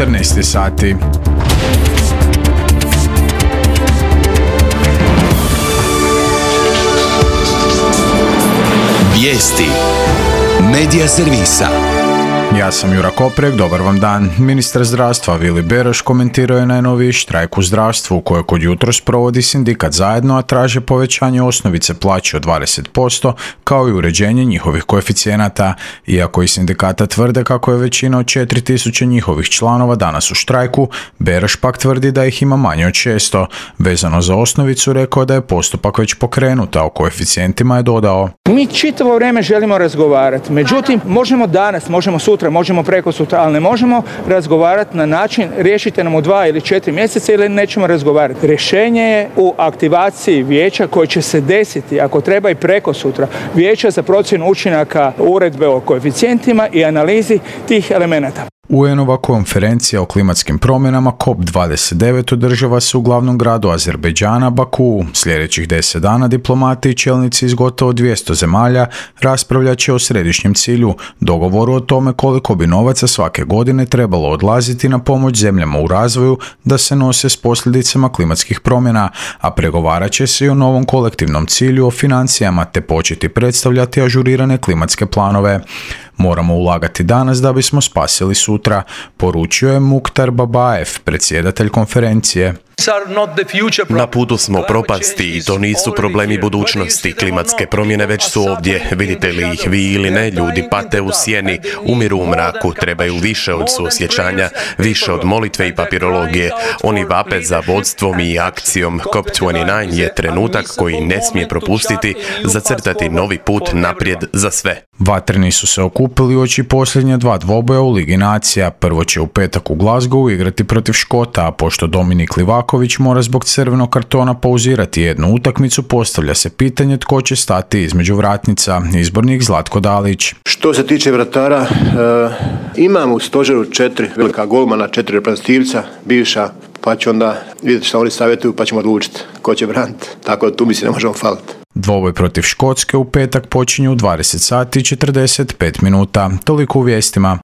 14 sati. Vijesti Medija servisa. Ja sam Jura Koprek, dobar vam dan. Ministar zdravstva Vili Beroš komentirao je najnoviji štrajk u zdravstvu koje kod jutros provodi sindikat Zajedno, a traže povećanje osnovice plaće od 20% kao i uređenje njihovih koeficijenata. Iako i sindikata tvrde kako je većina od 4000 njihovih članova danas u štrajku, Beroš pak tvrdi da ih ima manje od 600. Vezano za osnovicu rekao da je postupak već pokrenut, a o koeficijentima je dodao: Mi čitavo vrijeme želimo razgovarati, međutim možemo danas, možemo sutra, možemo preko sutra, ali ne možemo razgovarati na način riješite nam u 2 ili 4 mjeseca ili nećemo razgovarati. Rješenje je u aktivaciji vijeća koje će se desiti, ako treba i preko sutra, vijeća za procjenu učinaka uredbe o koeficijentima i analizi tih elemenata. UN-ova konferencija o klimatskim promjenama COP29 održava se u glavnom gradu Azerbejdžana, Bakuu. Sljedećih 10 dana diplomati i čelnici iz gotovo 200 zemalja raspravljat će o središnjem cilju, dogovoru o tome koliko bi novaca svake godine trebalo odlaziti na pomoć zemljama u razvoju da se nose s posljedicama klimatskih promjena, a pregovarat će se i o novom kolektivnom cilju o financijama te početi predstavljati ažurirane klimatske planove. Moramo ulagati danas da bismo spasili sutra, poručio je Mukhtar Babaev, predsjedatelj konferencije. Na putu smo propasti i to nisu problemi budućnosti. Klimatske promjene već su ovdje. Vidite li ih vi ili ne, ljudi pate u sjeni, umiru u mraku, trebaju više od suosjećanja, više od molitve i papirologije. Oni vape za vodstvom i akcijom. COP29 je trenutak koji ne smije propustiti, zacrtati novi put naprijed za sve. Vatreni su se okupili uoči posljednja 2 dvoboja u Ligi nacija. Prvo će u petak u Glasgowu igrati protiv Škota, a pošto Dominik Livaković mora zbog crvenog kartona pauzirati jednu utakmicu, postavlja se pitanje tko će stati između vratnica. Izbornik Zlatko Dalić. Što se tiče vratara, imamo u stožeru 4 velika golmana, 4 reprezentativca, bivša, pa će onda vidjeti što oni savjetuju pa ćemo odlučiti ko će braniti. Tako da tu mi se ne možemo faliti. Dvoboj protiv Škotske u petak počinje u 20 sati i 45 minuta. Toliko u vijestima.